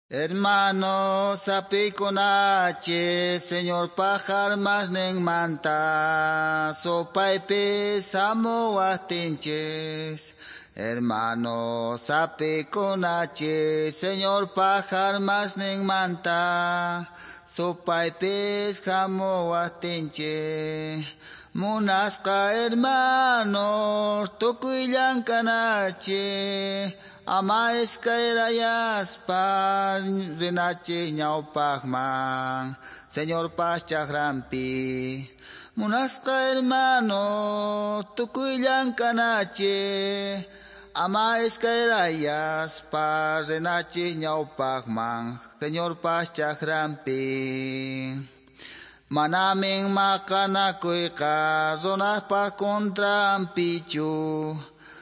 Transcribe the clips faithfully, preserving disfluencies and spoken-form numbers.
Hermanos, apikunache, Señor pajar manta, supaypis hamuwaqtinchis. Hermanos, apikunache, Señor pajar manta, supaypis hamuwaqtinchis. Munasqa hermanos, tukuy llank'anache, ama iskayrayaspa rinachi ñawpaqman, Señorpa chakranpi. Munasqa hermanos, tukuy llank'anache, ama iskayrayaspa rinachi ñawpaqman, Señorpa chakranpi. Manamin maqanakuyqa runaspa contranpichu,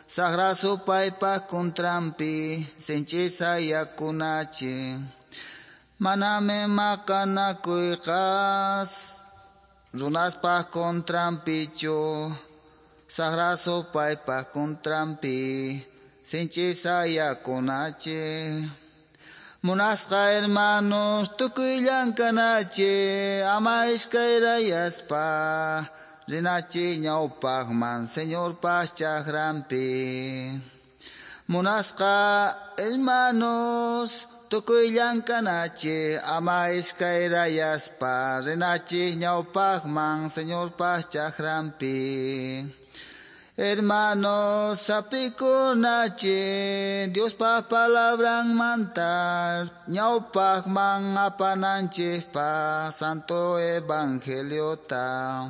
saqra supaypa contranpi, sinchi sayakunachi. Manamin maqanakuyqa runaspa contranpichu, saqra supaypa contranpi, sinchi sayakunachi. Munasqa hermanos, tukuy llank'anache, ama iskayrayaspa, rinachi ñawpaqman, Señorpa chakranpi. Munasqa hermanos, tukuy llank'anache, ama iskayrayaspa, rinachi ñawpaqman, Señorpa chakranpi. Hermanos, apikunache, Diospa palabranmanta, ñawpaqman apananchikpa, Santo Evangeliota.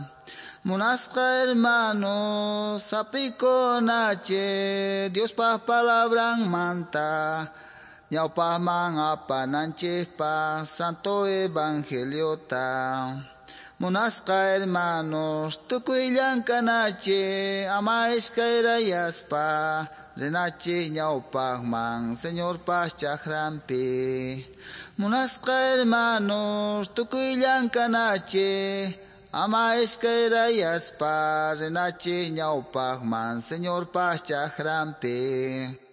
Munasqa hermanos, apikunache, Diospa palabranmanta, ñawpaqman apananchikpa, Santo Evangeliota. Munasqa hermanos, tukuy llank'anache, ama iskayrayaspa, rinachi ñawpaqman, Señorpa chakranpi. Munasqa hermanos, tukuy llank'anache, ama iskayrayaspa, rinachi ñawpaqman, Señorpa chakranpi.